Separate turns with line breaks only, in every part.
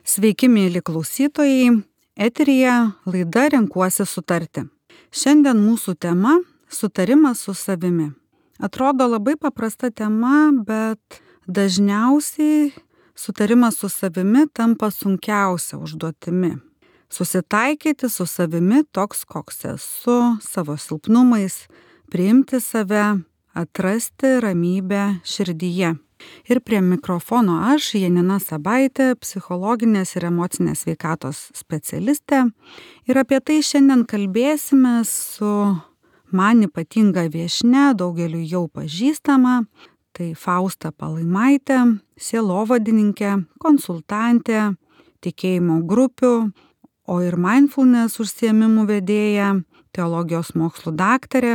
Sveiki, mėly klausytojai, eteryje laida Renkuosi sutarti. Šiandien mūsų tema – sutarimas su savimi. Atrodo labai paprasta tema, bet dažniausiai sutarimas su savimi tampa sunkiausia užduotimi. Susitaikyti su savimi toks, koks esu, savo silpnumais, priimti save, atrasti ramybę širdyje. Ir prie mikrofono aš, Janina Sabaitė, psichologinės ir emocinės sveikatos specialistė. Ir apie tai šiandien kalbėsime su man ypatinga viešnia, daugeliu jau pažįstama. Tai Fausta Palaimaitė, sielovadininkė, konsultantė, tikėjimo grupių, o ir mindfulness užsiėmimų vedėja, teologijos mokslų daktarė,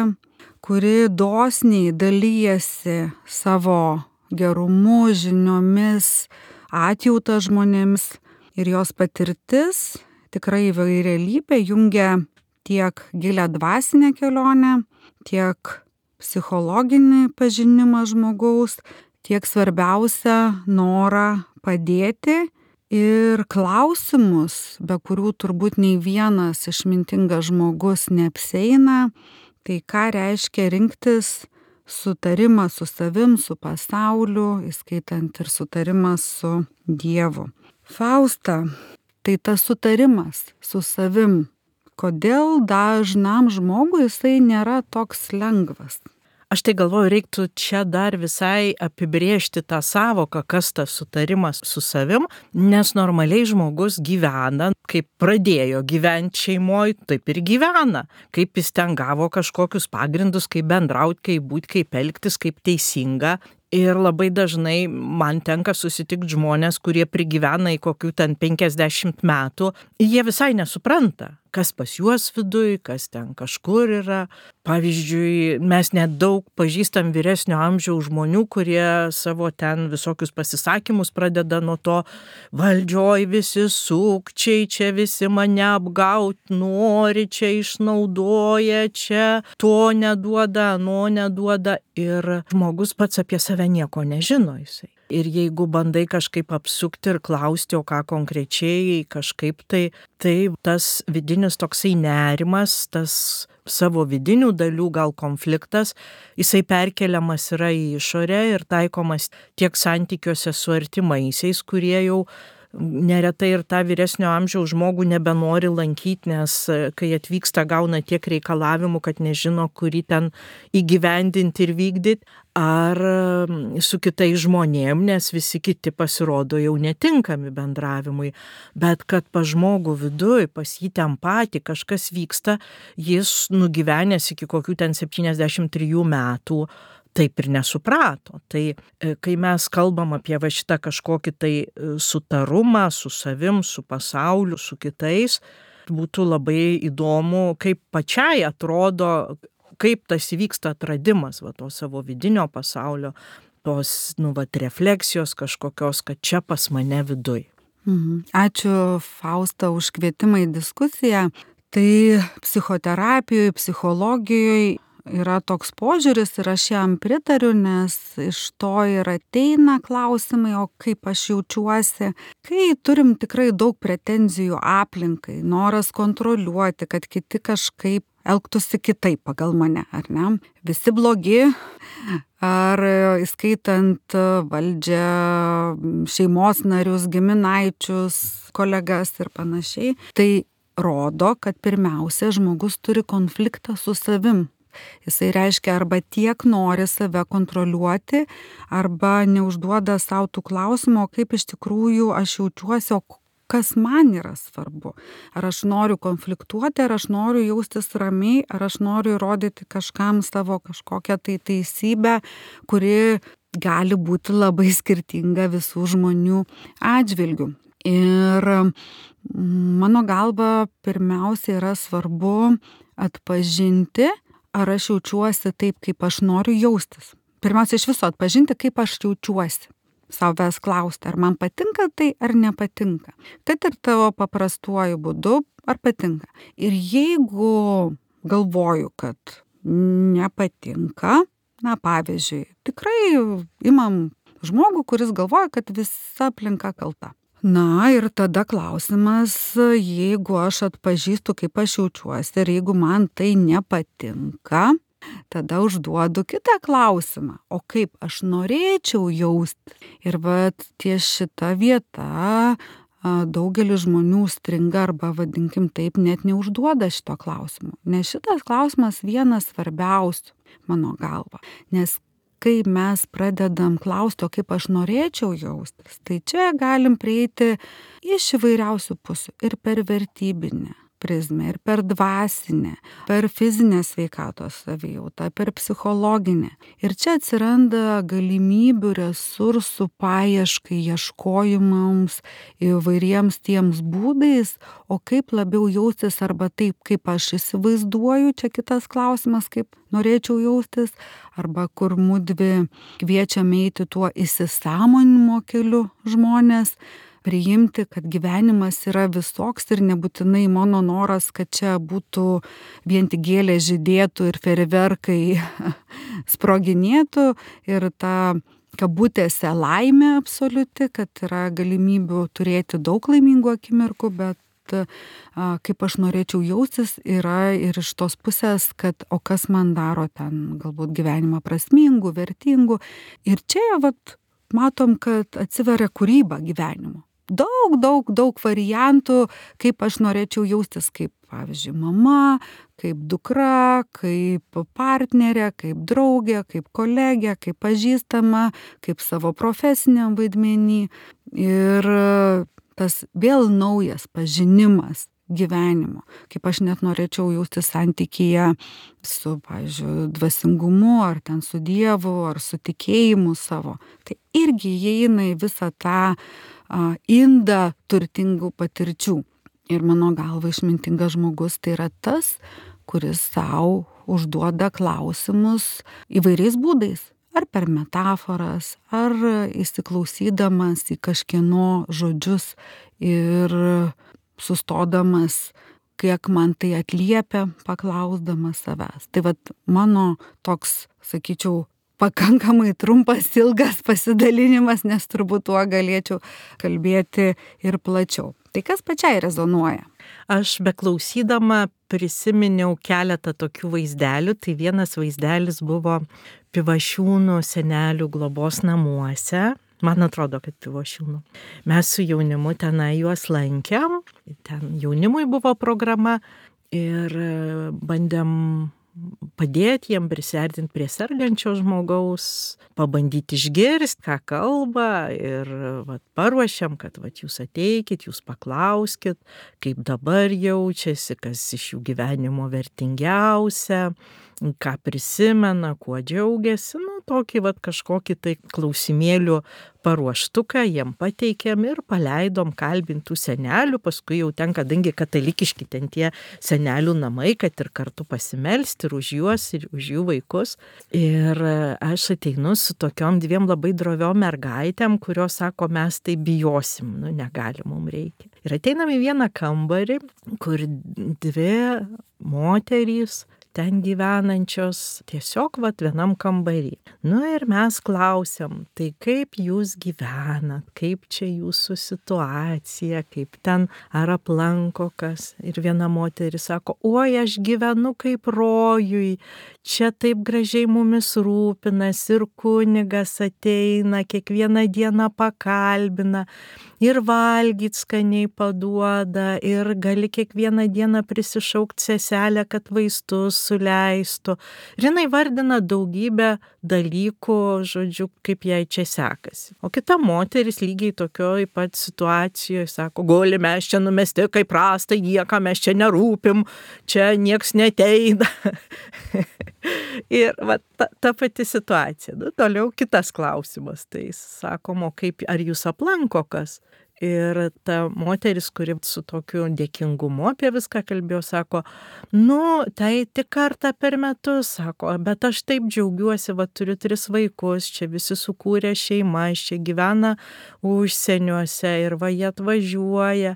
kuri dosniai dalyjasi savo gerumu, žiniomis, atjautą žmonėms, ir jos patirtis tikrai įvairialypė jungia tiek gilią dvasinę kelionę, tiek psichologinį pažinimą žmogaus, tiek svarbiausia norą padėti ir klausimus, be kurių turbūt nei vienas išmintingas žmogus neapsieina, tai ką reiškia rinktis sutarimą su savim, su pasauliu, įskaitant ir sutarimą su Dievu. Fausta, tai tas sutarimas su savim, kodėl dažnam žmogui jisai nėra toks lengvas?
Aš tai galvoju, reiktų čia dar visai apibrėžti tą savoką, kas tas sutarimas su savim, nes normaliai žmogus gyvena, kaip pradėjo gyventi šeimoje, taip ir gyvena. Kaip jis ten gavo kažkokius pagrindus, kaip bendrauti, kaip būti, kaip elgtis, kaip teisinga. Ir labai dažnai man tenka susitikti žmonės, kurie prigyvena į kokių ten 50 metų. Jie visai nesupranta, kas pas juos viduj, kas ten kažkur yra. Pavyzdžiui, mes net daug pažįstam vyresnio amžiaus žmonių, kurie savo ten visokius pasisakymus pradeda nuo to: valdžioj visi sukčiai, čia visi mane apgaut nori, čia išnaudoja, čia to neduoda, ano neduoda. Ir žmogus pats apie save nieko nežino jisai. Ir jeigu bandai kažkaip apsukti ir klausti, o ką konkrečiai kažkaip, tai tas vidinis toksai nerimas, tas savo vidinių dalių gal konfliktas, jisai perkeliamas yra į išorę ir taikomas tiek santykiuose su artimaisiais, kurie jau neretai ir tą vyresnio amžiaus žmogų nebenori lankyti, nes kai atvyksta, gauna tiek reikalavimų, kad nežino, kurį ten įgyvendinti ir vykdyti, ar su kitais žmonėm, nes visi kiti pasirodo jau netinkami bendravimui. Bet kad pas žmogų viduj, pas jį ten patį kažkas vyksta, jis nugyvenęs iki kokių ten 73 metų, taip ir nesuprato. Tai kai mes kalbam apie va šitą kažkokį tai sutarumą su savim, su pasauliu, su kitais, būtų labai įdomu, kaip pačiai atrodo, kaip tas įvyksta atradimas va to savo vidinio pasaulio, tos refleksijos kažkokios, kad čia pas mane viduj.
Ačiū, Fausta, už kvietimą į diskusiją. Tai psichoterapijoje, psichologijoje yra toks požiūris ir aš jam pritariu, nes iš to ir ateina klausimai, o kaip aš jaučiuosi, kai turim tikrai daug pretenzijų aplinkai, noras kontroliuoti, kad kiti kažkaip elgtųsi kitaip pagal mane, ar ne? Visi blogi, ar įskaitant valdžią, šeimos narius, giminaičius, kolegas ir panašiai. Tai rodo, kad pirmiausia žmogus turi konfliktą su savim. Jisai reiškia arba tiek nori save kontroliuoti, arba neužduoda savo tų klausimų, kaip iš tikrųjų aš jaučiuosi, o kas man yra svarbu. Ar aš noriu konfliktuoti, ar aš noriu jaustis ramiai, ar aš noriu įrodyti kažkam savo kažkokią tai teisybę, kuri gali būti labai skirtinga visų žmonių atžvilgių. Ir mano galva pirmiausia yra svarbu atpažinti, ar aš jaučiuosi taip, kaip aš noriu jaustis. Pirmiausia, iš viso atpažinti, kaip aš jaučiuosi. Savęs klausti, ar man patinka tai, ar nepatinka. Kad ir tavo paprastuoju būdu, ar patinka. Ir jeigu galvoju, kad nepatinka, na pavyzdžiui, tikrai imam žmogų, kuris galvoja, kad visa aplinka kalta. Na ir tada klausimas, jeigu aš atpažįstu, kaip aš jaučiuosi ir jeigu man tai nepatinka, tada užduodu kitą klausimą, o kaip aš norėčiau jaustis. Ir vat ties šita vieta daugelis žmonių stringa arba vadinkim taip, net neužduoda šito klausimo. Nes šitas klausimas vienas svarbiausių mano galva. Nes kai mes pradedam klausti, o kaip aš norėčiau jaustis, tai čia galim prieiti iš įvairiausių pusių ir per vertybinę prizmę, ir per dvasinę, per fizinę sveikatos savijautą, per psichologinę. Ir čia atsiranda galimybių, resursų paieškai, ieškojimams įvairiems tiems būdais, o kaip labiau jaustis arba taip, kaip aš įsivaizduoju, čia kitas klausimas, kaip norėčiau jaustis, arba kur mudvi kviečiam eiti tuo įsisąmoninimo keliu žmonės, priimti, kad gyvenimas yra visoks ir nebūtinai mano noras, kad čia būtų vien tik gėlės žydėtų ir fejerverkai sproginėtų ir ta kabutėse laimė absoliuti, kad yra galimybių turėti daug laimingų akimirkų, bet kaip aš norėčiau jaustis yra ir iš tos pusės, kad o kas man daro ten galbūt gyvenimą prasmingų, vertingų. Ir čia matom, kad atsiveria kūryba gyvenimo. Daug variantų, kaip aš norėčiau jaustis kaip, pavyzdžiui, mama, kaip dukra, kaip partnerė, kaip draugė, kaip kolegė, kaip pažįstama, kaip savo profesiniam vaidmenį. Ir tas vėl naujas pažinimas gyvenimo, kaip aš net norėčiau jaustis santykyje su, pavyzdžiui, dvasingumu, ar ten su Dievu, ar su tikėjimu savo. Tai irgi įeina į visą tą indą turtingų patirčių. Ir mano galva išmintingas žmogus tai yra tas, kuris savo užduoda klausimus įvairiais būdais. Ar per metaforas, ar įsiklausydamas į kažkieno žodžius ir sustodamas, kiek man tai atliepia, paklausdamas savęs. Tai mano toks, sakyčiau, pakankamai trumpas, ilgas pasidalinimas, nes turbūt tuo galėčiau kalbėti ir plačiau. Tai kas pačiai rezonuoja?
Aš beklausydama prisiminiau keletą tokių vaizdelių. Tai vienas vaizdelis buvo Pivašiūnų senelių globos namuose. Man atrodo, kad Pivašiūnų. Mes su jaunimu tenai juos lankėm. Ten jaunimui buvo programa ir bandėm padėti jiem prisiartinti prie sergančio žmogaus, pabandyti išgirsti, ką kalba ir paruošiam, kad jūs ateikit, jūs paklauskit, kaip dabar jaučiasi, kas iš jų gyvenimo vertingiausia, ką prisimena, kuo džiaugiasi, tokį kažkokį tai klausimėlių paruoštuką jiem pateikėm ir paleidom kalbintų senelių, paskui jau ten, kadangi katalikiški ten tie senelių namai, kad ir kartu pasimelsti ir už juos, ir už jų vaikus. Ir aš ateinu su tokiom dviem labai droviom mergaitėm, kurios sako, mes tai bijosim, negali, mums reikia. Ir ateinam į vieną kambarį, kur dvi moterys ten gyvenančios tiesiog vienam kambarį. Ir mes klausiam, tai kaip jūs gyvenat, kaip čia jūsų situacija, kaip ten ar aplanko kas. Ir viena moteris sako, oi, aš gyvenu kaip rojui, čia taip gražiai mumis rūpinasi ir kunigas ateina, kiekvieną dieną pakalbina ir valgyt skaniai paduoda ir gali kiekvieną dieną prisišaukti seselę, kad vaistus suleistų. Ir jinai vardina daugybę dalykų, žodžiu, kaip jai čia sekasi. O kita moteris lygiai tokioj pat situacijoje sako, guli mes čia numesti kaip prastai, nieka mes čia nerūpim, čia nieks neteina. Ir ta pati situacija. Toliau kitas klausimas. Tai sakom, kaip, ar jūs aplanko kas? Ir ta moteris, kuri su tokiu dėkingumu apie viską kalbėjo, sako, tai tik kartą per metus, sako, bet aš taip džiaugiuosi, turiu 3 vaikus, čia visi sukūrė šeimas, čia gyvena užsieniuose ir jie atvažiuoja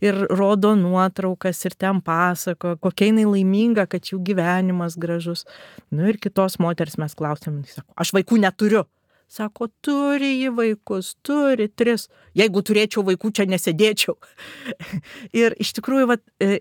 ir rodo nuotraukas ir ten pasako, kokia jinai laiminga, kad jų gyvenimas gražus. Ir kitos moters mes klausėm, sako, aš vaikų neturiu. Sako, turi jį vaikus, turi 3. Jeigu turėčiau vaikų, čia nesėdėčiau. Ir iš tikrųjų,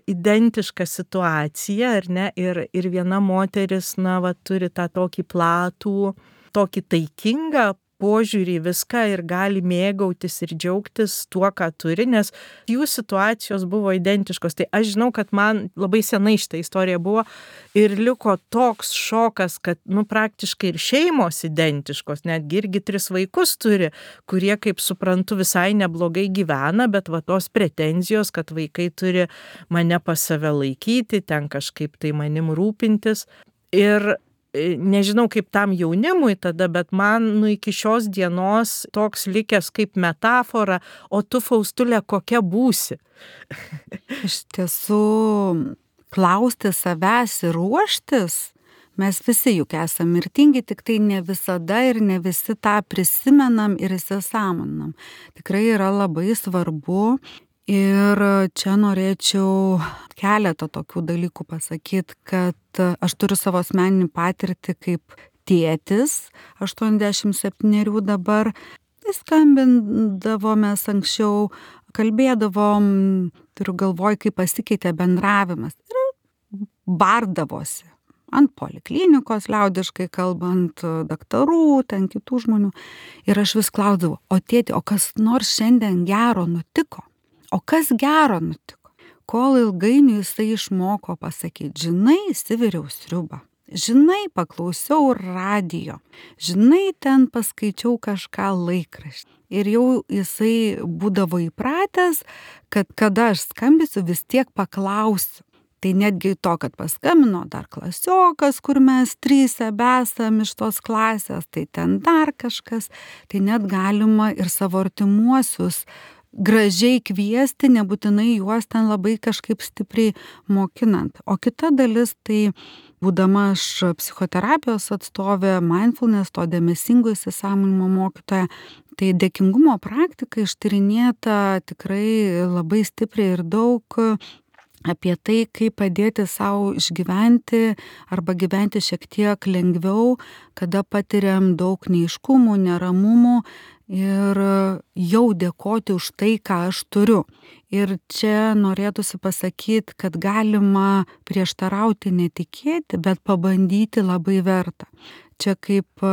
identiška situacija, ar ne? Ir viena moteris, turi tą tokį platų, tokį taikingą požiūrį į viską ir gali mėgautis ir džiaugtis tuo, ką turi, nes jų situacijos buvo identiškos. Tai aš žinau, kad man labai senai šitą istoriją buvo ir liko toks šokas, kad praktiškai ir šeimos identiškos, netgi irgi 3 vaikus turi, kurie, kaip suprantu, visai neblogai gyvena, bet tos pretenzijos, kad vaikai turi mane pas save laikyti, ten kažkaip tai manim rūpintis. Ir nežinau kaip tam jaunimui tada, bet man iki šios dienos toks likęs kaip metafora, o tu, Faustulė, kokia būsi?
Iš tiesų, klausti savęs ir ruoštis, mes visi juk esame mirtingi, tik tai ne visada ir ne visi tą prisimenam ir įsisąmoninam. Tikrai yra labai svarbu. Ir čia norėčiau keletą tokių dalykų pasakyti, kad aš turiu savo asmeninį patirtį kaip tėtis, 87 dabar, skambindavomės anksčiau, kalbėdavom, turiu galvoj, kaip pasikeitė bendravimas ir bardavosi ant poliklinikos, liaudiškai kalbant, daktarų, ten kitų žmonių. Ir aš vis klausdavau, o tėti, o kas nors šiandien gero nutiko? O kas gero nutiko? Kol ilgainiui jisai išmoko pasakyti, žinai, įsiviriau sriubą, žinai, paklausiau radijo, žinai, ten paskaičiau kažką laikraštį. Ir jau jisai būdavo įpratęs, kad kada aš skambisiu, vis tiek paklausiu. Tai netgi to, kad paskambino dar klasiokas, kur mes 3 besam iš tos klasės, tai ten dar kažkas, tai net galima ir savo artimuosius gražiai kviesti, nebūtinai juos ten labai kažkaip stipriai mokinant. O kita dalis, tai būdama aš psichoterapijos atstovė, mindfulness, to dėmesingo įsisąmoninimo mokytoja, tai dėkingumo praktika ištyrinėta tikrai labai stipriai ir daug apie tai, kaip padėti savo išgyventi arba gyventi šiek tiek lengviau, kada patiriam daug neaiškumų, neramumų ir jau dėkoti už tai, ką aš turiu. Ir čia norėtųsi pasakyti, kad galima prieštarauti, netikėti, bet pabandyti labai verta. Čia kaip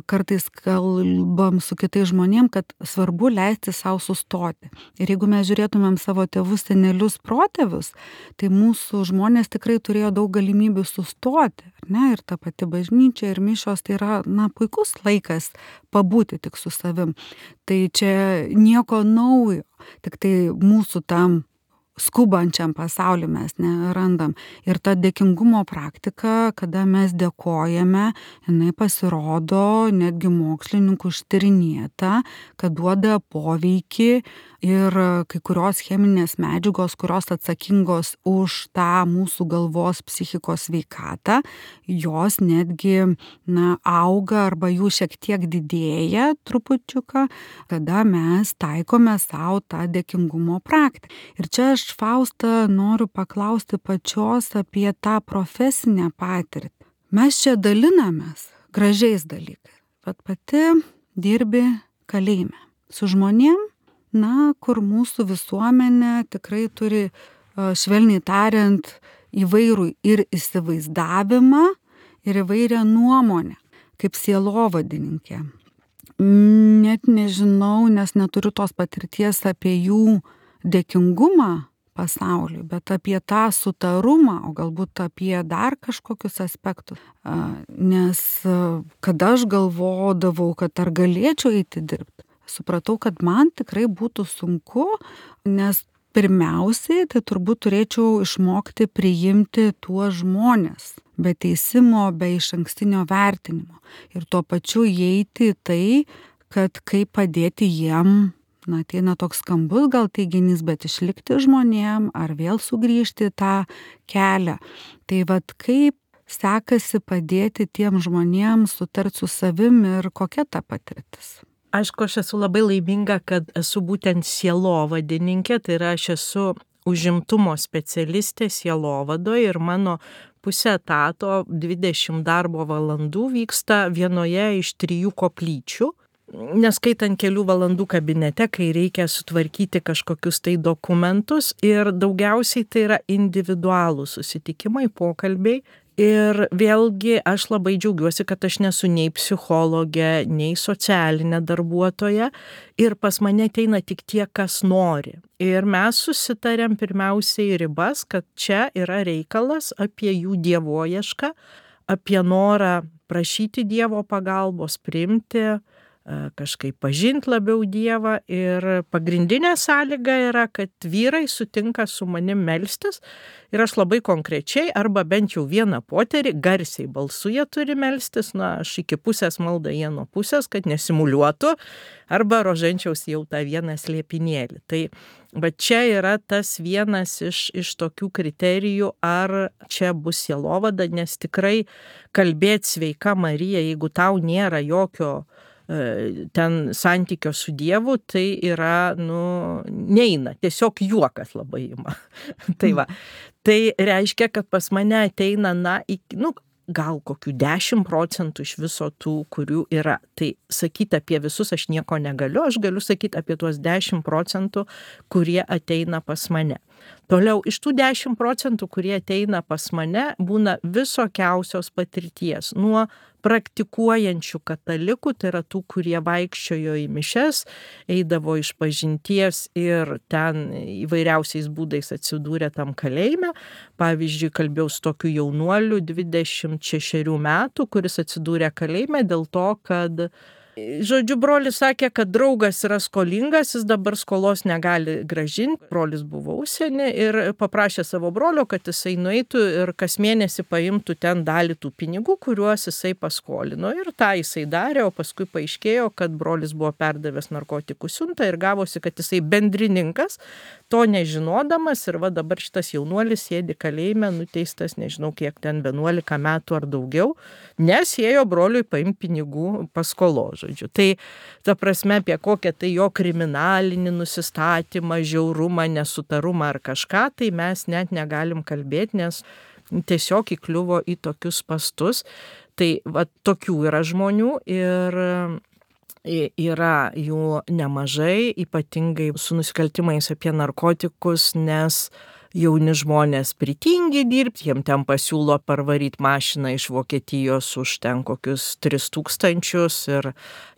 kartais kalbam su kitais žmonėm, kad svarbu leisti savo sustoti. Ir jeigu mes žiūrėtumėm savo tėvus, senelius, protėvius, tai mūsų žmonės tikrai turėjo daug galimybių sustoti. Ne? Ir ta pati bažnyčia ir mišios tai yra puikus laikas pabūti tik su savim. Tai čia nieko naujo, tik tai mūsų tam skubančiam pasauliu mes nerandam. Ir ta dėkingumo praktika, kada mes dėkojame, jinai pasirodo netgi mokslininkų ištyrinėta, kad duoda poveikį ir kai kurios cheminės medžiagos, kurios atsakingos už tą mūsų galvos psichikos sveikatą, jos netgi auga arba jų šiek tiek didėja trupučiuką, kada mes taikome savo tą dėkingumo praktiką. Ir čia aš, Fausta, noriu paklausti pačios apie tą profesinę patirtį. Mes čia dalinamės gražiais dalykais, bet pati dirbi kalėjime su žmonėm, kur mūsų visuomenė tikrai turi, švelniai tariant, įvairų ir įsivaizdavimą, ir įvairią nuomonę, kaip sielovadininkė. Net nežinau, nes neturiu tos patirties apie jų dėkingumą pasauliui, bet apie tą sutarumą, o galbūt apie dar kažkokius aspektus. Nes kada aš galvodavau, kad ar galėčiau eiti dirbti, supratau, kad man tikrai būtų sunku, nes pirmiausiai tai turbūt turėčiau išmokti priimti tuos žmones, be teisimo, be išankstinio vertinimo. Ir tuo pačiu įeiti į tai, kad kaip padėti jiem, ateina toks skambus gal teiginys, bet išlikti žmonėm ar vėl sugrįžti į tą kelią. Tai kaip sekasi padėti tiem žmonėm sutarti su savim ir kokia ta patirtis?
Aišku, aš esu labai laiminga, kad esu būtent sielovadininkė, tai yra aš esu užimtumo specialistė sielovadoje ir mano pusė etato 20 darbo valandų vyksta vienoje iš 3 koplyčių. Neskaitant kelių valandų kabinete, kai reikia sutvarkyti kažkokius tai dokumentus ir daugiausiai tai yra individualūs susitikimai, pokalbiai. Ir vėlgi aš labai džiaugiuosi, kad aš nesu nei psichologė, nei socialinė darbuotoja ir pas mane ateina tik tie, kas nori. Ir mes susitarėm pirmiausiai ribas, kad čia yra reikalas apie jų dievoiešką, apie norą prašyti Dievo pagalbos, priimti, kažkaip pažinti labiau Dievą ir pagrindinė sąlyga yra, kad vyrai sutinka su manim melstis ir aš labai konkrečiai arba bent jau vieną poterį garsiai balsu jie turi melstis, aš iki pusės maldą jie nuo pusės, kad nesimuliuotų, arba rožančiaus jau tą vieną slėpinėlį. Tai bet čia yra tas vienas iš tokių kriterijų, ar čia bus sielovada, nes tikrai kalbėti sveika Marija, jeigu tau nėra jokio ten santykio su Dievu, tai yra, neina, tiesiog juokas labai ima. Tai va, tai reiškia, kad pas mane ateina, gal kokių 10% iš viso tų, kurių yra. Tai sakyti apie visus aš nieko negaliu, aš galiu sakyti apie tuos 10%, kurie ateina pas mane. Toliau, iš tų 10%, kurie ateina pas mane, būna visokiausios patirties. Nuo praktikuojančių katalikų, tai yra tų, kurie vaikščiojo į mišes, eidavo iš pažinties ir ten įvairiausiais būdais atsidūrė tam kalėjime. Pavyzdžiui, kalbėjau su tokiu jaunuoliu 26 metų, kuris atsidūrė kalėjime dėl to, kad žodžiu, brolis sakė, kad draugas yra skolingas, jis dabar skolos negali grąžinti. Brolis buvo užsieny ir paprašė savo brolio, kad jisai nueitų ir kas mėnesį paimtų ten dalį tų pinigų, kuriuos jisai paskolino. Ir tą jisai darė, o paskui paaiškėjo, kad brolis buvo perdavęs narkotikų siuntą ir gavosi, kad jisai bendrininkas, to nežinodamas. Ir va dabar šitas jaunuolis sėdi kalėjime, nuteistas nežinau kiek ten 11 metų ar daugiau, nes ėjo broliui paimti pinigų paskolos. Tai ta prasme apie kokią tai jo kriminalinį nusistatymą, žiaurumą, nesutarumą ar kažką, tai mes net negalim kalbėti, nes tiesiog įkliuvo į tokius spastus. Tai va, tokių yra žmonių ir yra jų nemažai, ypatingai su nusikaltimais apie narkotikus, nes jauni žmonės pritingi dirbti, jiem ten pasiūlo parvaryti mašiną iš Vokietijos už ten kokius 3000 ir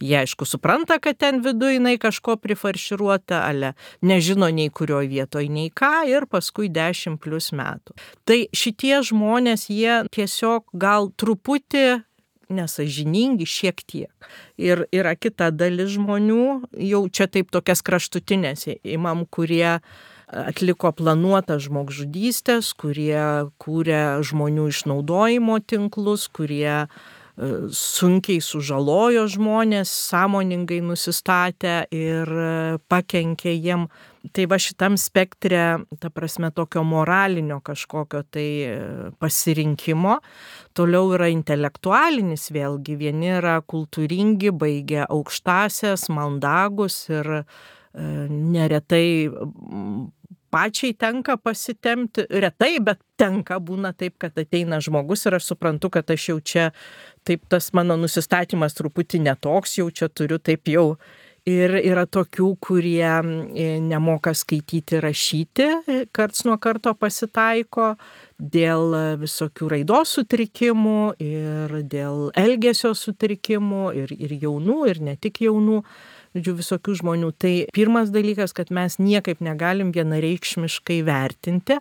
jie aišku supranta, kad ten viduj jinai kažko prifarširuota, ale nežino nei kurioje vietoje, nei ką ir paskui 10+ metų. Tai šitie žmonės, jie tiesiog gal truputį nesąžiningi šiek tiek. Ir yra kita dalis žmonių, jau čia taip tokias kraštutinės imam, kurie atliko planuotas žmogžudystės, kurie kūrė žmonių išnaudojimo tinklus, kurie sunkiai sužalojo žmonės, sąmoningai nusistatę ir pakenkė jiem. Tai va šitam spektre, ta prasme, tokio moralinio kažkokio tai pasirinkimo. Toliau yra intelektualinis vėlgi, vieni yra kultūringi, baigę aukštąsias, mandagus ir neretai pačiai tenka pasitemti, retai, bet tenka būna taip, kad ateina žmogus ir aš suprantu, kad aš jau čia, taip tas mano nusistatymas truputį netoks, jau čia turiu taip jau. Ir yra tokių, kurie nemoka skaityti, rašyti, karts nuo karto pasitaiko dėl visokių raidos sutrikimų ir dėl elgesio sutrikimų ir jaunų, ir ne tik jaunų. Visokių žmonių. Tai pirmas dalykas, kad mes niekaip negalim vienareikšmiškai vertinti,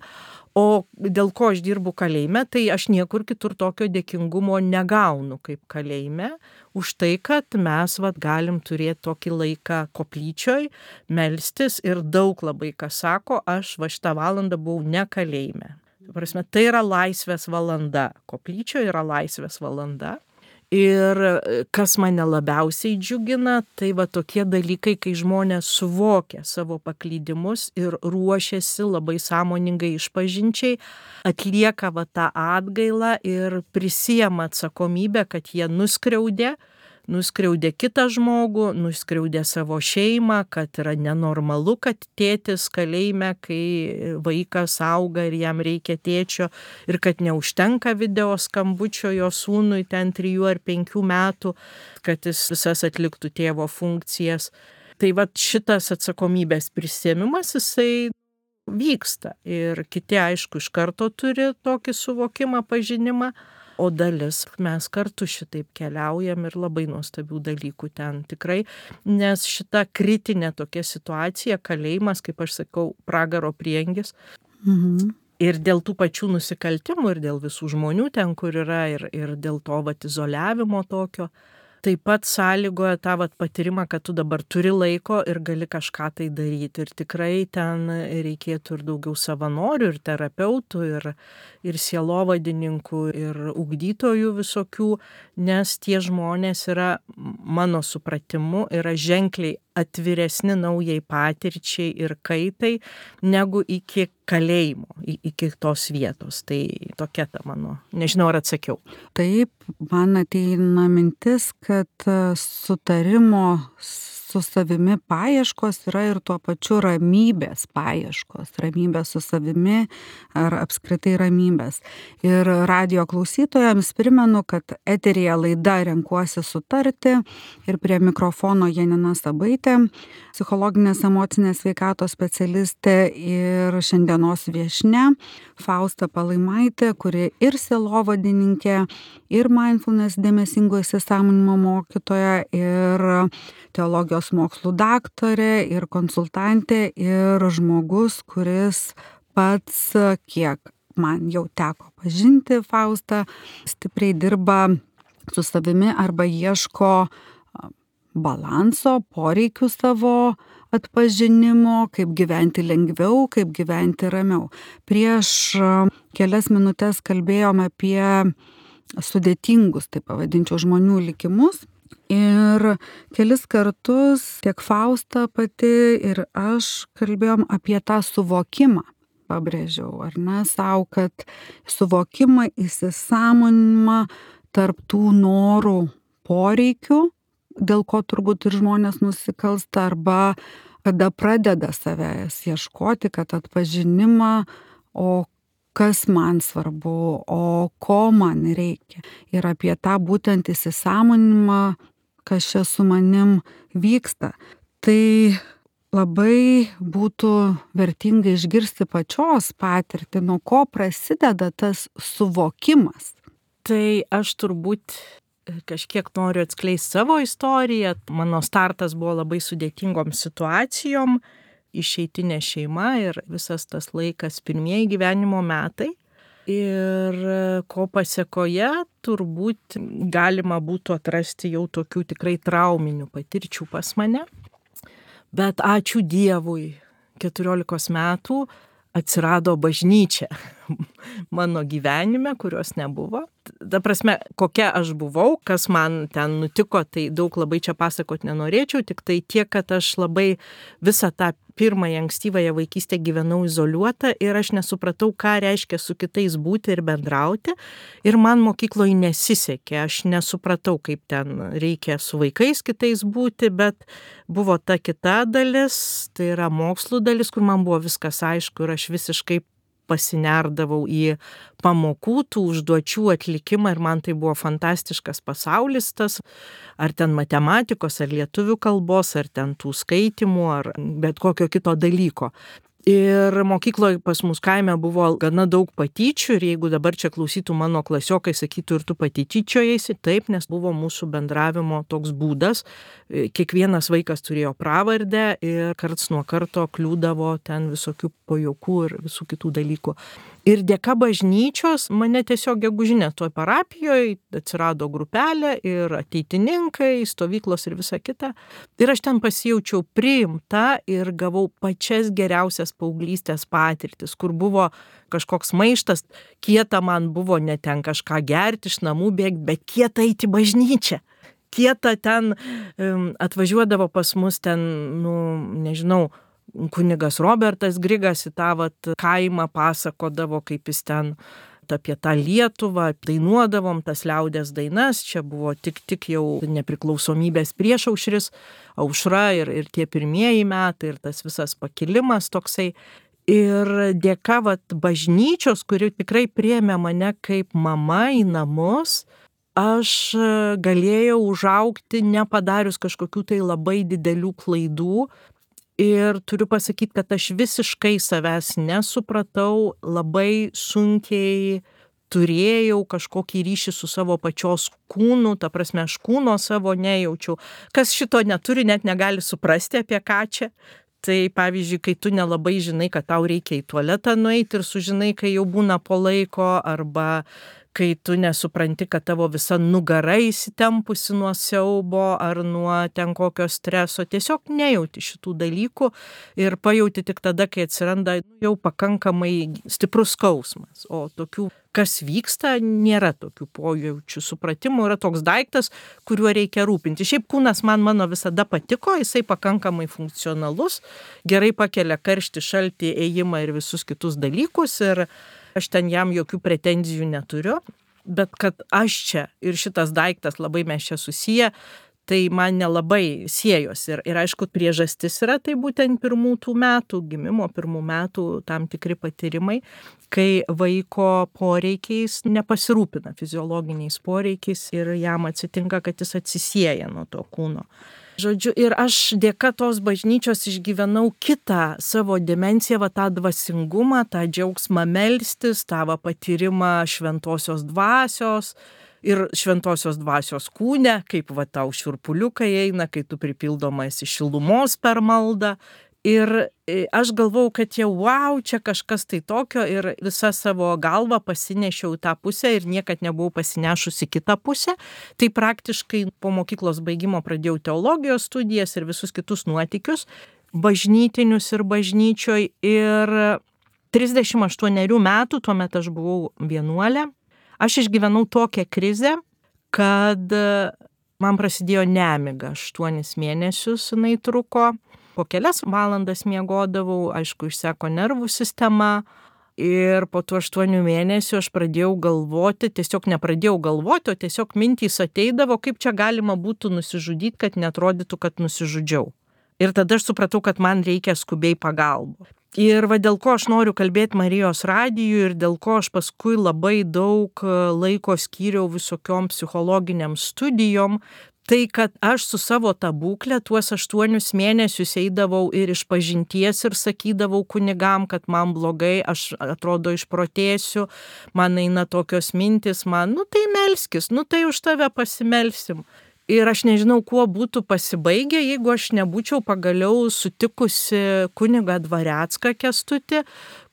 o dėl ko aš dirbu kalėjime, tai aš niekur kitur tokio dėkingumo negaunu kaip kalėjime, už tai, kad mes galim turėti tokį laiką koplyčioj, melstis ir daug labai kas sako, aš šitą valandą buvau ne kalėjime. Prasme, tai yra laisvės valanda, koplyčioje yra laisvės valanda. Ir kas mane labiausiai džiugina, tai tokie dalykai, kai žmonės suvokia savo paklydimus ir ruošiasi labai sąmoningai išpažinčiai, atlieka tą atgailą ir prisiema atsakomybę, kad jie nuskriaudė, nuskriaudė kitą žmogų, nuskriaudė savo šeimą, kad yra nenormalu, kad tėtis kalėjime, kai vaikas auga ir jam reikia tėčio ir kad neužtenka video skambučio jo sūnui ten 3 ar 5 metų, kad jis visas atliktų tėvo funkcijas. Tai vat šitas atsakomybės prisėmimas, jisai vyksta ir kiti aišku iš karto turi tokį suvokimą, pažinimą, o dalis mes kartu šitaip keliaujam ir labai nuostabių dalykų ten tikrai, nes šita kritinė tokia situacija, kalėjimas, kaip aš sakau, pragaro prieangis. Ir dėl tų pačių nusikaltimų, ir dėl visų žmonių ten, kur yra, ir dėl to vat izoliavimo tokio, taip pat sąlygoja tą vat patyrimą, kad tu dabar turi laiko ir gali kažką tai daryti. Ir tikrai ten reikėtų ir daugiau savanorių, ir terapeutų, ir sielovadininkų, ir ugdytojų visokių, nes tie žmonės yra, mano supratimu, yra ženkliai atviresni naujai patirčiai ir kaitai, negu iki kalėjimo, iki tos vietos. Tai tokia ta mano, nežinau ar atsakiau.
Taip, man ateina mintis, kad sutarimo su savimi paieškos yra ir tuo pačiu ramybės paieškos, ramybės su savimi ar apskritai ramybės. Ir radijo klausytojams primenu, kad eteryje laida Renkuosi sutarti ir prie mikrofono Janina Sabaitė, psichologinės emocinės sveikatos specialistė ir šiandienos viešnia Fausta Palaimaitė, kuri ir sielovadininkė, ir mindfulness dėmesingo įsisąmoninimo mokytoja, ir teologijos mokslų daktarė, ir konsultantė, ir žmogus, kuris pats, kiek man jau teko pažinti Faustą, stipriai dirba su savimi arba ieško balanso, poreikių savo atpažinimo, kaip gyventi lengviau, kaip gyventi ramiau. Prieš kelias minutės kalbėjome apie sudėtingus, taip pavadinčiau, žmonių likimus. Ir kelis kartus tiek Fausta pati ir aš kalbėjom apie tą suvokimą, pabrėžiau, ar ne, savo, kad suvokimą, įsisąmoninimą tarp tų norų, poreikių, dėl ko turbūt ir žmonės nusikalsta, arba kada pradeda savęs ieškoti, kad atpažinimą, o kas man svarbu, o ko man reikia. Ir apie tą būtent įsisąmoninimą, kas čia su manim vyksta. Tai labai būtų vertinga išgirsti pačios patirtį, nuo ko prasideda tas suvokimas.
Tai aš turbūt kažkiek noriu atskleisti savo istoriją. Mano startas buvo labai sudėtingom situacijom, išeitinė šeima ir visas tas laikas, pirmieji gyvenimo metai. Ir ko pasekoje turbūt galima būtų atrasti jau tokių tikrai trauminių patirčių pas mane. Bet ačiū Dievui, 14 metų atsirado bažnyčia mano gyvenime, kurios nebuvo. Ta prasme, kokia aš buvau, kas man ten nutiko, tai daug labai čia pasakot nenorėčiau, tik tai tiek, kad aš labai visą tą pirmąją ankstyvąją vaikystę gyvenau izoliuota ir aš nesupratau, ką reiškia su kitais būti ir bendrauti. Ir man mokykloje nesisekė, aš nesupratau, kaip ten reikia su vaikais kitais būti, bet buvo ta kita dalis, tai yra mokslų dalis, kur man buvo viskas aišku ir aš visiškai pasinerdavau į pamokų, tų užduočių atlikimą ir man tai buvo fantastiškas pasaulis tas, ar ten matematikos, ar lietuvių kalbos, ar ten tų skaitimų, ar bet kokio kito dalyko. Ir mokykloje pas mus kaime buvo gana daug patyčių ir jeigu dabar čia klausytų mano klasiokai, sakytų ir tu pati tyčiojaisi, taip, nes buvo mūsų bendravimo toks būdas. Kiekvienas vaikas turėjo pravardę ir karts nuo karto kliūdavo ten visokių pajuokų ir visų kitų dalykų. Ir dėka bažnyčios mane tiesiog gegužinė toj parapijoje atsirado grupelė ir ateitininkai, stovyklos ir visa kita. Ir aš ten pasijaučiau priimta ir gavau pačias geriausias paauglystės patirtis, kur buvo kažkoks maištas, kieta man buvo ne ten kažką gerti iš namų bėgti, bet kieta eiti bažnyčią. Kieta ten atvažiuodavo pas mus ten, nežinau, kunigas Robertas Grigas į tą kaimą pasakodavo, kaip jis ten apie tą Lietuvą, dainuodavom tas liaudės dainas, čia buvo tik jau nepriklausomybės priešaušris, aušra ir tie pirmieji metai ir tas visas pakilimas toksai. Ir dėka bažnyčios, kuri tikrai priėmė mane kaip mama į namus, aš galėjau užaugti nepadarius kažkokių tai labai didelių klaidų. Ir turiu pasakyti, kad aš visiškai savęs nesupratau, labai sunkiai turėjau kažkokį ryšį su savo pačios kūnu, ta prasme, aš kūno savo nejaučiau. Kas šito neturi, net negali suprasti, apie ką čia. Tai pavyzdžiui, kai tu nelabai žinai, kad tau reikia į tualetą nueiti ir sužinai, kai jau būna po laiko, arba kai tu nesupranti, kad tavo visa nugara įsitempusi nuo siaubo ar nuo ten kokio streso, tiesiog nejauti šitų dalykų ir pajauti tik tada, kai atsiranda jau pakankamai stiprus skausmas. O tokių, kas vyksta, nėra tokių pojaučių supratimų, yra toks daiktas, kuriuo reikia rūpinti. Šiaip kūnas mano visada patiko, jisai pakankamai funkcionalus, gerai pakelia karštį, šaltį, ėjimą ir visus kitus dalykus ir aš ten jam jokių pretenzijų neturiu, bet kad aš čia ir šitas daiktas labai mes čia susiję, tai man nelabai siejosi. Ir aišku, priežastis yra tai būtent gimimo pirmų metų tam tikri patyrimai, kai vaiko poreikiais nepasirūpina fiziologiniais poreikiais ir jam atsitinka, kad jis atsisieja nuo to kūno. Žodžiu, ir aš dėka tos bažnyčios išgyvenau kitą savo dimensiją, tą dvasingumą, tą džiaugsmą melstis, tą patyrimą šventosios dvasios ir šventosios dvasios kūne, kaip tau šiurpuliukai eina, kai tu pripildomas iš šilumos per maldą. Ir aš galvau, kad jau wow, čia kažkas tai tokio ir visą savo galvą pasinešiau tą pusę ir niekad nebuvau pasinešusi kitą pusę. Tai praktiškai po mokyklos baigimo pradėjau teologijos studijas ir visus kitus nuotykius, bažnytinius ir bažnyčioj. Ir 38 metų, tuomet aš buvau vienuolė, aš išgyvenau tokią krizę, kad man prasidėjo nemiga. 8 mėnesius jinai truko. Po kelias valandas miegodavau, aišku, išseko nervų sistema ir po tų 8 mėnesių aš pradėjau galvoti, tiesiog nepradėjau galvoti, o tiesiog mintys ateidavo, kaip čia galima būtų nusižudyti, kad neatrodytų, kad nusižudžiau. Ir tada aš supratau, kad man reikia skubiai pagalbos. Ir dėl ko aš noriu kalbėti Marijos radijui ir dėl ko aš paskui labai daug laiko skyriau visokiom psichologiniam studijom, tai kad aš su savo tą būklę tuos 8 mėnesius eidavau ir iš pažinties ir sakydavau kunigam, kad man blogai, aš atrodo išprotėsiu, man eina tokios mintis, tai melskis, tai už tave pasimelsim. Ir aš nežinau, kuo būtų pasibaigę, jeigu aš nebūčiau pagaliau sutikusi kunigą Dvarecką Kęstutį,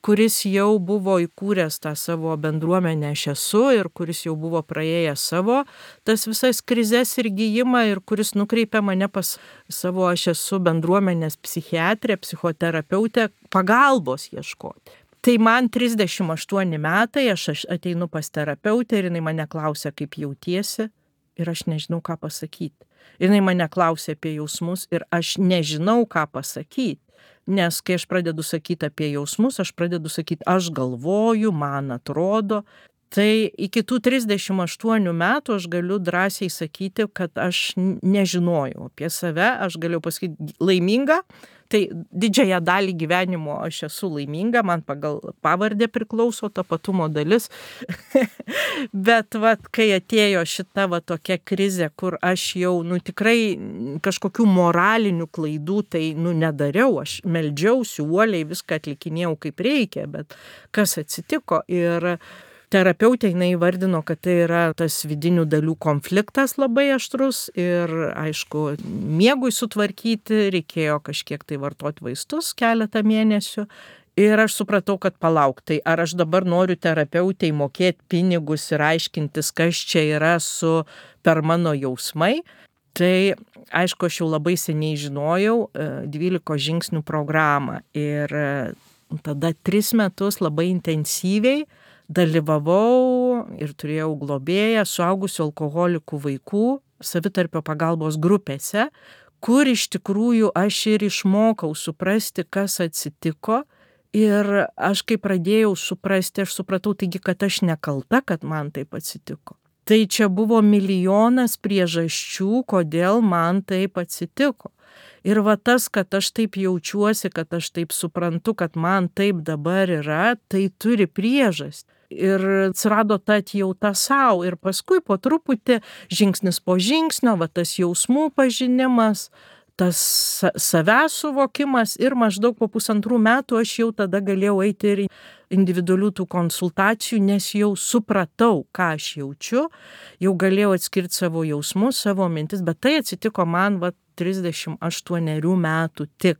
kuris jau buvo įkūręs tą savo bendruomenę Aš esu ir kuris jau buvo praėjęs savo tas visas krizes ir gijimą ir kuris nukreipė mane pas savo Aš esu bendruomenės psichiatrę, psichoterapeutę pagalbos ieškoti. Tai man 38 metai, aš ateinu pas terapeutę ir jinai mane klausia, kaip jautiesi. Ir aš nežinau, ką pasakyti. Ir jinai mane klausė apie jausmus ir aš nežinau, ką pasakyti. Nes kai aš pradedu sakyti apie jausmus, aš pradedu sakyti, aš galvoju, man atrodo. Tai iki tų 38 metų aš galiu drąsiai sakyti, kad aš nežinojau apie save, aš galiu pasakyti laiminga. Tai didžiąją dalį gyvenimo aš esu laiminga, man pagal pavardę priklauso tapatumo dalis. Bet kai atėjo šita tokia krizė, kur aš jau tikrai kažkokių moralinių klaidų tai nedariau, aš meldžiausi, uoliai viską atlikinėjau kaip reikia, bet kas atsitiko ir terapeutė jinai įvardino, kad tai yra tas vidinių dalių konfliktas labai aštrus ir, aišku, miegui sutvarkyti reikėjo kažkiek tai vartoti vaistus keletą mėnesių. Ir aš supratau, kad palauk, tai ar aš dabar noriu terapeutei mokėti pinigus ir aiškintis, kas čia yra per mano jausmai. Tai, aišku, aš jau labai seniai žinojau 12 žingsnių programą ir tada 3 metus labai intensyviai dalyvavau ir turėjau globėją suaugusių alkoholikų vaikų savitarpio pagalbos grupėse, kur iš tikrųjų aš ir išmokau suprasti, kas atsitiko Ir aš kai pradėjau suprasti, aš supratau, taigi, kad aš nekalta, kad man taip atsitiko. Tai čia buvo milijonas priežasčių, kodėl man taip atsitiko. Ir va tas, kad aš taip jaučiuosi, kad aš taip suprantu, kad man taip dabar yra, tai turi priežastį. Ir atsirado ta atjauta sau. Ir paskui po truputį, žingsnis po žingsnio, va tas jausmų pažinimas, tas savęs suvokimas ir maždaug po 1,5 metų aš jau tada galėjau eiti ir individualių tų konsultacijų, nes jau supratau, ką aš jaučiu, jau galėjau atskirti savo jausmus, savo mintis, bet tai atsitiko man 38 metų tik.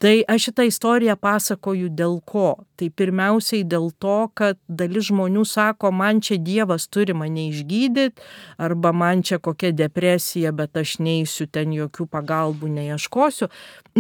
Tai aš šitą istoriją pasakoju dėl ko? Tai pirmiausiai dėl to, kad dalis žmonių sako, man čia Dievas turi mane išgydyti, arba man čia kokia depresija, bet aš neisiu ten jokių pagalbų, neieškosiu.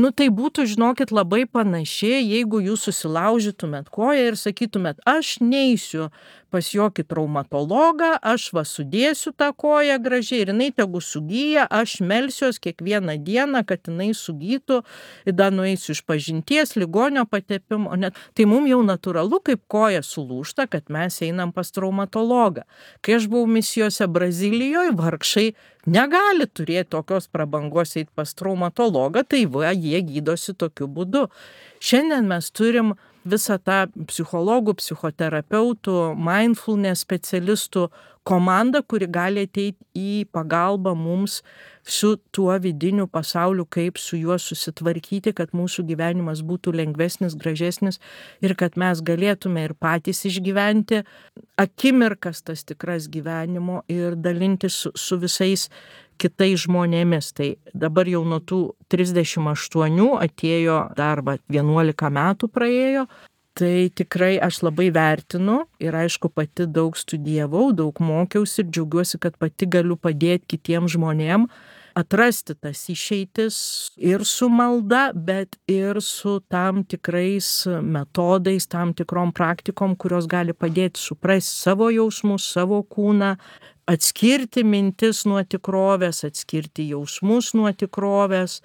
Tai būtų, žinokit, labai panašiai, jeigu jūs susilaužytumėt koją ir sakytumėt, aš neisiu pas jokį traumatologą, aš sudėsiu tą koją gražiai ir jinai tegu sugyja, aš melsiuos kiekvieną dieną, kad jinai sugytų, ir dar nueisiu iš pažinties, ligonio patepimo. Tai mums jau natūralu, kaip koja sulūžta, kad mes einam pas traumatologą. Kai aš buvau misijose Brazilijoje, vargšai negali turėti tokios prabangos eiti pas traumatologą, tai jie gydosi tokiu būdu. Šiandien mes turim visą tą psichologų, psichoterapeutų, mindfulness specialistų komandą, kuri gali ateiti į pagalbą mums su tuo vidiniu pasauliu, kaip su juo susitvarkyti, kad mūsų gyvenimas būtų lengvesnis, gražesnis ir kad mes galėtume ir patys išgyventi akimirkas tas tikras gyvenimo ir dalintis su visais kitais žmonėmis. Tai dabar jau nuo tų 38 atėjo dar 11 metų praėjo. Tai tikrai aš labai vertinu ir aišku pati daug studijavau, daug mokiausi ir džiaugiuosi, kad pati galiu padėti kitiems žmonėm atrasti tas išeitis ir su malda, bet ir su tam tikrais metodais, tam tikrom praktikom, kurios gali padėti suprasti savo jausmus, savo kūną, atskirti mintis nuo tikrovės, atskirti jausmus nuo tikrovės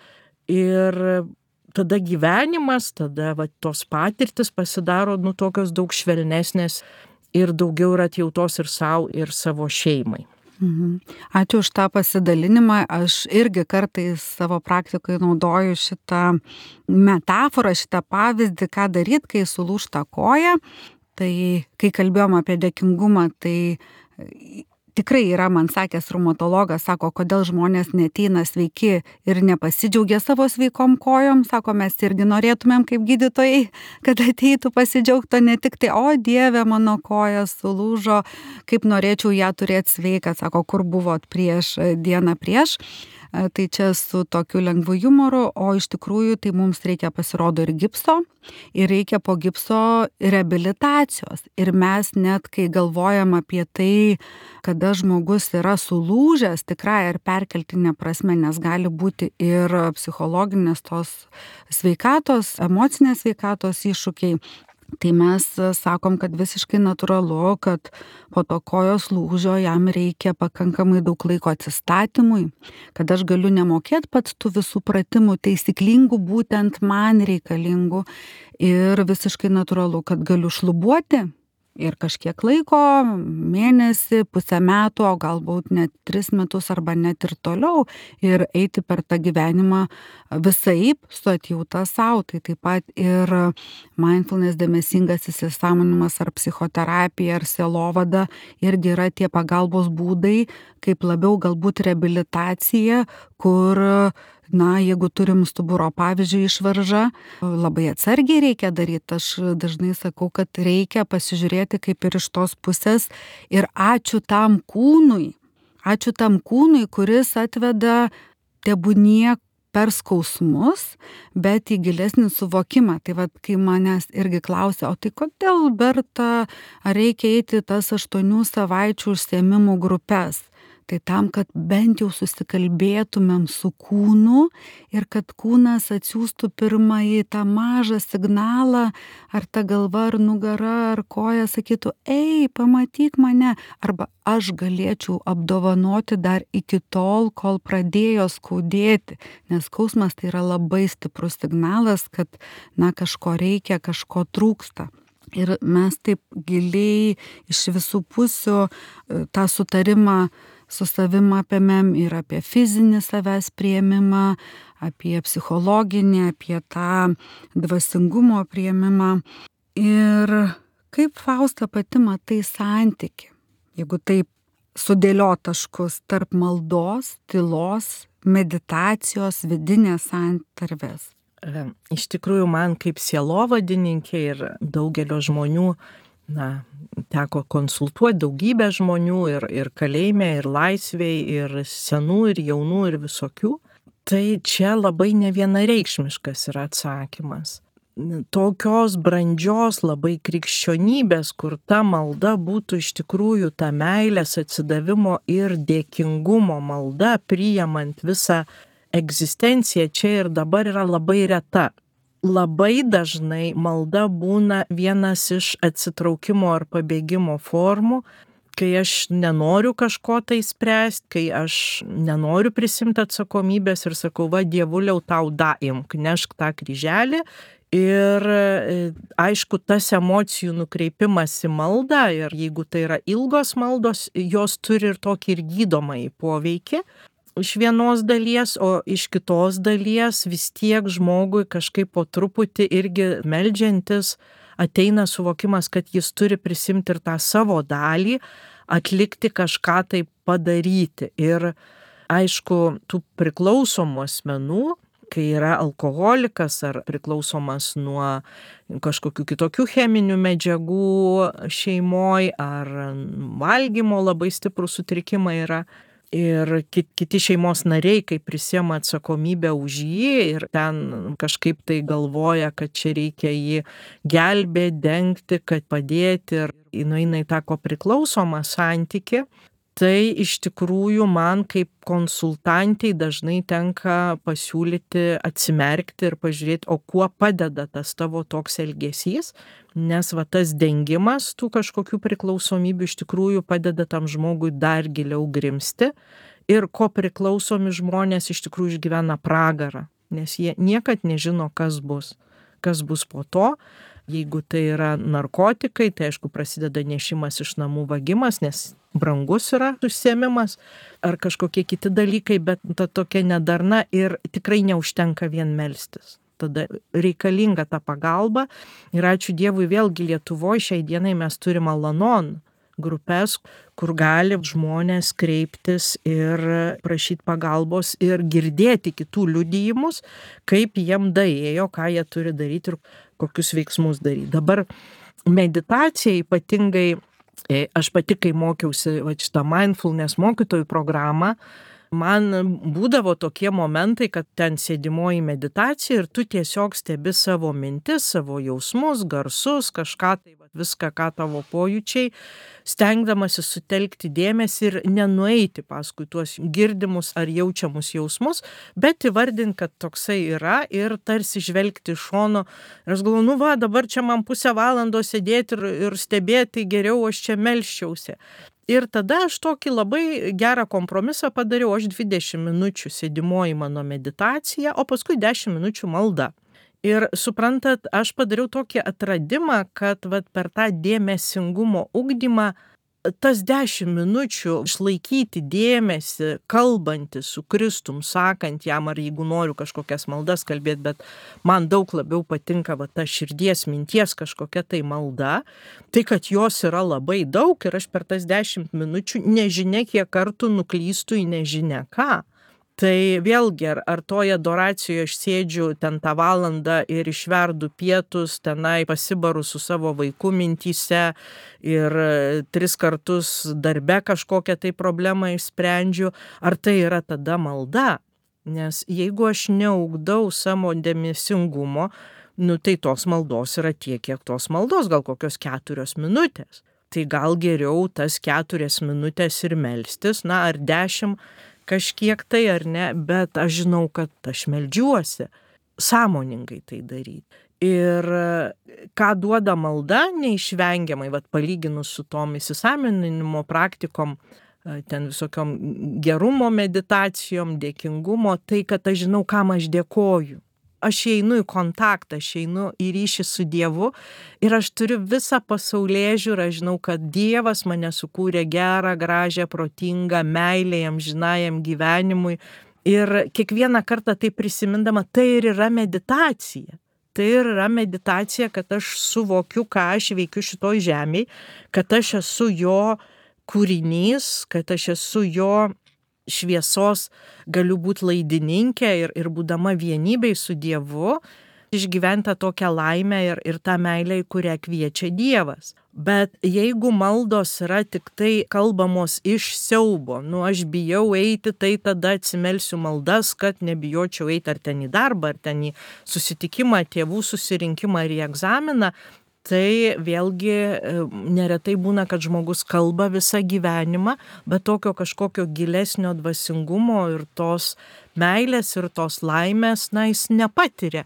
ir tada gyvenimas, tada tos patirtis pasidaro tokios daug švelnesnės ir daugiau yra atjautos ir sau, ir savo šeimai.
Ačiū už tą pasidalinimą. Aš irgi kartais savo praktikoje naudoju šitą metaforą, šitą pavyzdį, ką daryti, kai sulūžta koja. Tai kai kalbėjom apie dėkingumą, tai tikrai yra, man sakęs reumatologas, sako, kodėl žmonės neateina sveiki ir nepasidžiaugia savo sveikom kojom. Sako, mes irgi norėtumėm kaip gydytojai, kad ateitų pasidžiaugto ne tik tai, o Dieve, mano koja sulūžo, kaip norėčiau ją turėti sveiką. Sako, kur buvot dieną prieš. Tai čia su tokiu lengvu jumoru, o iš tikrųjų tai mums reikia pasirodo ir gipso, ir reikia po gipso reabilitacijos. Ir mes net, kai galvojam apie tai, kada žmogus yra sulūžęs, tikrai ir perkeltinė prasme, nes gali būti ir psichologinės tos sveikatos, emocinės sveikatos iššūkiai. Tai mes sakom, kad visiškai natūralu, kad po to kojos lūžio jam reikia pakankamai daug laiko atsistatymui, kad aš galiu nemokėti pats tų visų pratimų taisyklingų, būtent man reikalingų, ir visiškai natūralu, kad galiu šlubuoti ir kažkiek laiko, mėnesį, pusę metų, o galbūt net 3 metus arba net ir toliau, ir eiti per tą gyvenimą visaip su atjauta sau. Tai taip pat ir mindfulness, dėmesingas įsisąmoninimas ar psichoterapija ar sielovada irgi yra tie pagalbos būdai, kaip labiau galbūt reabilitacija, kur jeigu turim stuburo, pavyzdžiui, išvaržą, labai atsargiai reikia daryti. Aš dažnai sakau, kad reikia pasižiūrėti kaip ir iš tos pusės ir ačiū tam kūnui, kuris atveda tebūnie per skausmus, bet į gilesnį suvokimą. Tai kai manęs irgi klausia, o tai kodėl, Berta, ar reikia eiti tas 8 savaičių užsiėmimų grupes? Tai tam, kad bent jau susikalbėtumėm su kūnu ir kad kūnas atsiųstų pirmąjį tą mažą signalą, ar ta galva, ar nugara, ar koja sakytų, ei, pamatyk mane, arba aš galėčiau apdovanoti dar iki tol, kol pradėjo skaudėti, nes skausmas tai yra labai stiprus signalas, kad kažko reikia, kažko trūksta. Ir mes taip giliai iš visų pusių tą sutarimą su savim apėmėm ir apie fizinį savęs priėmimą, apie psichologinį, apie tą dvasingumo priėmimą. Ir kaip Fausta pati matai santykį, jeigu taip sudėliot taškus tarp maldos, tylos, meditacijos, vidinės santarvės?
Iš tikrųjų, man kaip sielovadininkė ir daugelio žmonių, teko konsultuoti daugybę žmonių ir kalėjime, ir laisvėj, ir senų, ir jaunų, ir visokių. Tai čia labai nevienareikšmiškas yra atsakymas. Tokios brandžios labai krikščionybės, kur ta malda būtų iš tikrųjų ta meilės atsidavimo ir dėkingumo malda, priimant visą egzistencija čia ir dabar yra labai reta. Labai dažnai malda būna vienas iš atsitraukimo ar pabėgimo formų, kai aš nenoriu kažko tai spręsti, kai aš nenoriu prisimti atsakomybės ir sakau, va, Dievuliau, tau daimk, nešk tą kryželį. Ir aišku, tas emocijų nukreipimas į maldą, ir jeigu tai yra ilgos maldos, jos turi ir tokį ir gydomąjį poveikį. Iš vienos dalies, o iš kitos dalies vis tiek žmogui kažkaip po truputį irgi meldžiantis ateina suvokimas, kad jis turi prisimti ir tą savo dalį, atlikti kažką tai padaryti. Ir aišku, tų priklausomų asmenų, kai yra alkoholikas ar priklausomas nuo kažkokių kitokių cheminių medžiagų šeimoj, ar valgymo labai stiprų sutrikimą yra, ir kiti šeimos nariai, kai prisiema atsakomybę už jį ir ten kažkaip tai galvoja, kad čia reikia jį gelbėti, dengti, kad padėti ir nueina į tą kopriklausomą santykį, tai iš tikrųjų man kaip konsultantai dažnai tenka pasiūlyti atsimerkti ir pažiūrėti, o kuo padeda tas tavo toks elgesys, nes va tas dengimas tų kažkokių priklausomybių iš tikrųjų padeda tam žmogui dar giliau grimsti ir ko priklausomi žmonės iš tikrųjų išgyvena pragarą, nes jie niekad nežino, kas bus po to. Jeigu tai yra narkotikai, tai aišku prasideda nešimas iš namų, vagimas, nes brangus yra užsiėmimas, ar kažkokie kiti dalykai, bet ta tokia nedarna ir tikrai neužtenka vien melstis. Tada reikalinga ta pagalba ir ačiū Dievui vėlgi Lietuvoje šiai dienai mes turime Al-Anon grupės, kur gali žmonės kreiptis ir prašyti pagalbos ir girdėti kitų liudijimus, kaip jiem daėjo, ką jie turi daryti ir kokius veiksmus daryti. Dabar meditacija ypatingai, aš pati, kai mokiausi šitą mindfulness mokytojų programą, man būdavo tokie momentai, kad ten sėdimoji meditacija ir tu tiesiog stebi savo mintis, savo jausmus, garsus, kažką tai viską, ką tavo pojūčiai, stengdamasi sutelkti dėmesį ir nenueiti paskui tuos girdimus ar jaučiamus jausmus, bet įvardinti, kad toksai yra ir tarsi žvelgti iš šono. Ir aš galvoju, dabar čia man pusę valandos sėdėti ir stebėti, geriau aš čia melsčiausi. Ir tada aš tokį labai gerą kompromisą padariau, aš 20 minučių sėdimoji mano meditacija, o paskui 10 minučių malda. Ir suprantat, aš padariau tokį atradimą, kad per tą dėmesingumo ugdymą tas 10 minučių išlaikyti dėmesį, kalbantis su Kristum, sakant jam, ar jeigu noriu kažkokias maldas kalbėti, bet man daug labiau patinka ta širdies minties kažkokia tai malda, tai kad jos yra labai daug ir aš per tas 10 minučių nežinia kiek kartų nuklystu į nežinia ką. Tai vėlgi, ar toje adoracijoje aš sėdžiu ten tą valandą ir išverdu pietus, tenai pasibaru su savo vaiku mintyse ir 3 kartus darbe kažkokią tai problemą išsprendžiu, ar tai yra tada malda? Nes jeigu aš neugdau savo dėmesingumo, tai tos maldos yra tiek, kiek tos maldos, gal kokios 4 minutės. tai gal geriau tas 4 minutės ir melstis, ar 10 kažkiek tai ar ne, bet aš žinau, kad aš meldžiuosi, sąmoningai tai daryti. Ir ką duoda malda neišvengiamai, palyginus su tom įsisąmoninimo praktikom, ten visokiom gerumo meditacijom, dėkingumo, tai kad aš žinau, kam aš dėkoju. Aš einu į kontaktą, aš einu į ryšį su Dievu ir aš turiu visą pasaulėžiūrą, žinau, kad Dievas mane sukūrė gerą, gražią, protingą, meilę amžinajam gyvenimui. Ir kiekvieną kartą tai prisimindama, tai ir yra meditacija. Tai ir yra meditacija, kad aš suvokiu, ką aš veikiu šitoj žemėj, kad aš esu jo kūrinys, kad aš esu jo šviesos, galiu būti laidininkė ir būdama vienybėj su Dievu, išgyventa tokią laimę ir tą meilę, į kurią kviečia Dievas. Bet jeigu maldos yra tik tai kalbamos iš siaubo, aš bijau eiti, tai tada atsimelsiu maldas, kad nebijočiau eiti ar ten į darbą, ar ten į susitikimą, tėvų susirinkimą ar į egzaminą, tai vėlgi neretai būna, kad žmogus kalba visą gyvenimą, bet tokio kažkokio gilesnio dvasingumo ir tos meilės ir tos laimės, jis nepatiria.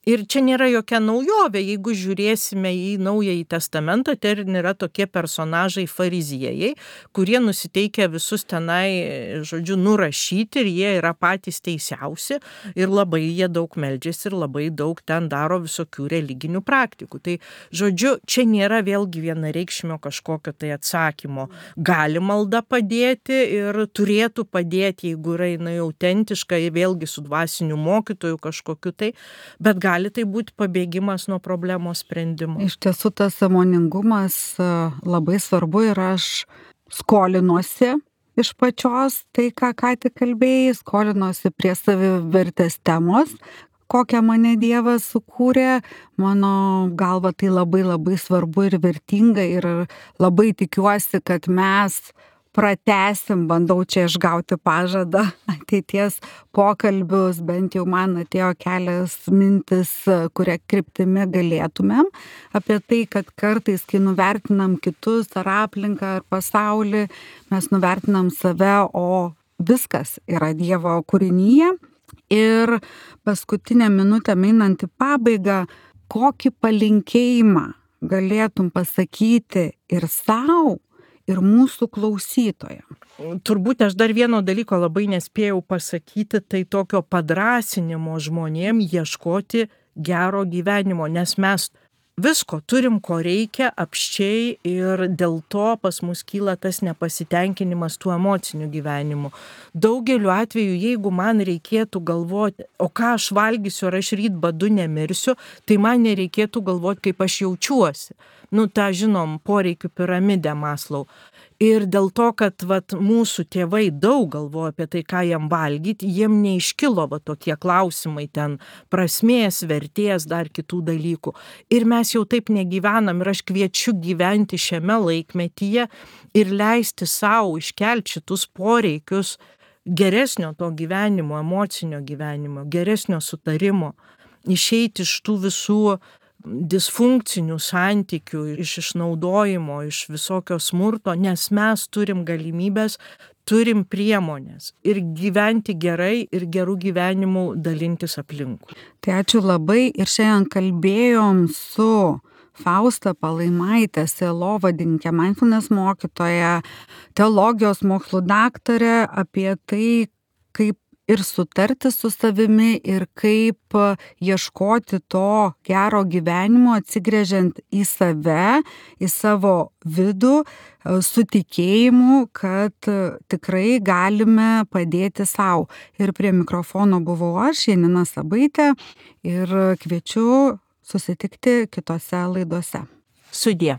Ir čia nėra jokia naujovė, jeigu žiūrėsime į Naująjį testamentą, ten yra tokie personažai fariziejai, kurie nusiteikia visus tenai, nurašyti ir jie yra patys teisiausi ir labai jie daug meldžiasi ir labai daug ten daro visokių religinių praktikų. Tai, čia nėra vėlgi vienareikšmio kažkokio tai atsakymo. Gali malda padėti ir turėtų padėti, jeigu yra jinai autentiška, vėlgi su dvasiniu mokytoju kažkokiu tai, bet gali tai būti pabėgimas nuo problemos sprendimo.
Iš tiesų tas sąmoningumas labai svarbu ir aš skolinuosi iš pačios tai, ką tik kalbėjai, skolinuosi prie savivertės temos, kokią mane Dievas sukūrė. Mano galva tai labai labai svarbu ir vertinga ir labai tikiuosi, kad mes pratęsim, bandau čia išgauti pažadą ateities pokalbius, bent jau man atėjo kelias mintis, kuria kryptimi galėtumėm, apie tai, kad kartais, kai nuvertinam kitus ar aplinką ar pasaulį, mes nuvertinam save, o viskas yra Dievo kūrinyje. Ir paskutinę minutę einant į pabaigą, kokį palinkėjimą galėtum pasakyti ir sau, ir mūsų klausytojams?
Turbūt aš dar vieno dalyko labai nespėjau pasakyti, tai tokio padrąsinimo žmonėm ieškoti gero gyvenimo, nes mes visko turim, ko reikia apsčiai ir dėl to pas mus kyla tas nepasitenkinimas tuo emociniu gyvenimu. Daugeliu atveju, jeigu man reikėtų galvoti, o ką aš valgysiu, ar aš ryt badu nemirsiu, tai man nereikėtų galvoti, kaip aš jaučiuosi. tą žinom, poreikių piramidę Maslau. Ir dėl to, kad mūsų tėvai daug galvoja apie tai, ką jam valgyti, jiem neiškilo tokie klausimai ten prasmės, vertės, dar kitų dalykų. Ir mes jau taip negyvenam ir aš kviečiu gyventi šiame laikmetyje ir leisti savo iškelti šitus poreikius geresnio to gyvenimo, emocinio gyvenimo, geresnio sutarimo, išeiti iš tų visų disfunkcinių santykių, iš išnaudojimo, iš visokio smurto, nes mes turim galimybės, turim priemonės ir gyventi gerai ir gerų gyvenimų dalintis aplinkui.
Tai ačiū labai ir šiandien kalbėjom su Fausta Palaimaite, sielovadininkė, mindfulness mokytoja, teologijos mokslų daktarė, apie tai, kaip ir sutarti su savimi ir kaip ieškoti to gero gyvenimo, atsigręžiant į save, į savo vidų, su tikėjimu, kad tikrai galime padėti sau. Ir prie mikrofono buvau aš, Janina Sabaitė, ir kviečiu susitikti kitose laidose.
Sudie.